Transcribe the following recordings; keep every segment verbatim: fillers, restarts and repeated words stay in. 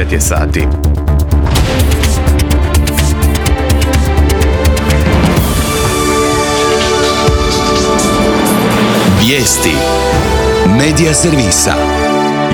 devet je sati. Vijesti Medija servisa.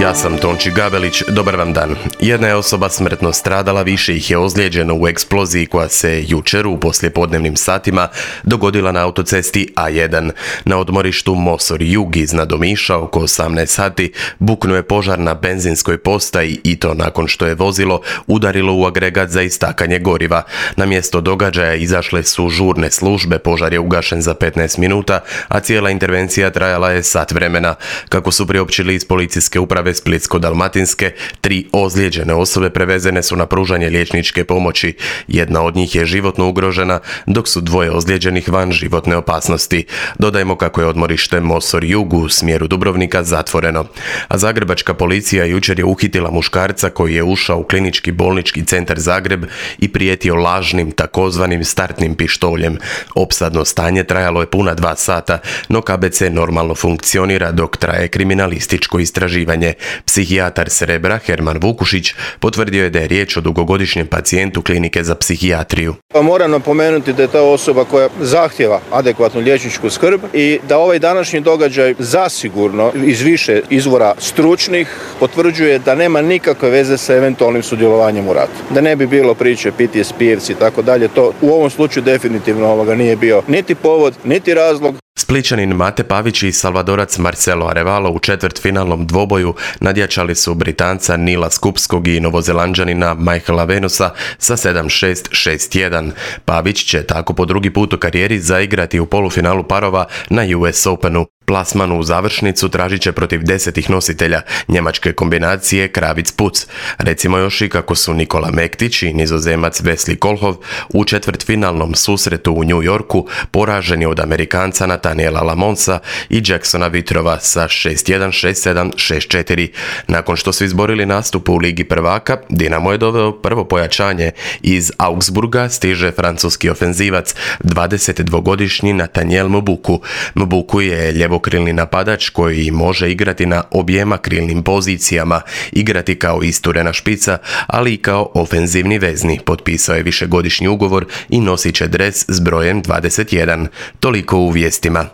Ja sam Tonči Gabelić, dobar vam dan. Jedna je osoba smrtno stradala, više ih je ozlijeđeno u eksploziji koja se jučer u poslijepodnevnim satima dogodila na autocesti A jedan. Na odmorištu Mosor Jug iznad Omiša oko osamnaest sati buknuo je požar na benzinskoj postaji i to nakon što je vozilo udarilo u agregat za istakanje goriva. Na mjesto događaja izašle su žurne službe, požar je ugašen za petnaest minuta, a cijela intervencija trajala je sat vremena. Kako su priopćili iz policijske uprave Splitsko-dalmatinske, tri ozlijeđene osobe prevezene su na pružanje liječničke pomoći. Jedna od njih je životno ugrožena, dok su dvoje ozlijeđenih van životne opasnosti. Dodajmo kako je odmorište Mosor Jug u smjeru Dubrovnika zatvoreno. A zagrebačka policija jučer je uhitila muškarca koji je ušao u klinički bolnički centar Zagreb i prijetio lažnim takozvanim startnim pištoljem. Opsadno stanje trajalo je puna dva sata, no K B C normalno funkcionira dok traje kriminalističko istraživanje. Psihijatar s Rebra Herman Vukušić potvrdio je da je riječ o dugogodišnjem pacijentu klinike za psihijatriju. Pa moram napomenuti da je ta osoba koja zahtjeva adekvatnu liječničku skrb i da ovaj današnji događaj zasigurno iz više izvora stručnih potvrđuje da nema nikakve veze sa eventualnim sudjelovanjem u ratu. Da ne bi bilo priče P T S P-evci i tako dalje, to u ovom slučaju definitivno ovoga nije bio niti povod, niti razlog. Splićanin Mate Pavić i Salvadorac Marcelo Arevalo u četvrtfinalnom dvoboju nadjačali su Britanca Nila Skupskog i Novozelanđanina Michaela Venusa sa sedam šest, šest jedan. Pavić će tako po drugi put u karijeri zaigrati u polufinalu parova na U S Openu. Plasman u završnicu tražit će protiv desetih nositelja njemačke kombinacije Kravic-Puc. Recimo još i kako su Nikola Mektić i Nizozemac Wesley Kohlhoff u četvrtfinalnom susretu u New Yorku poraženi od Amerikanca Nathaniela Lamonsa i Jacksona Vitrova sa šest jedan, šest sedam, šest četiri. Nakon što su izborili nastup u Ligi prvaka, Dinamo je doveo prvo pojačanje. Iz Augsburga stiže francuski ofenzivac, dvadesetdvogodišnji Nathaniel Mbuku. Mbuku je ljevokrilni napadač koji može igrati na objema krilnim pozicijama, igrati kao isturena špica, ali i kao ofenzivni vezni. Potpisao je višegodišnji ugovor i nosit će dres s brojem dvadeset jedan. Toliko u vijestima.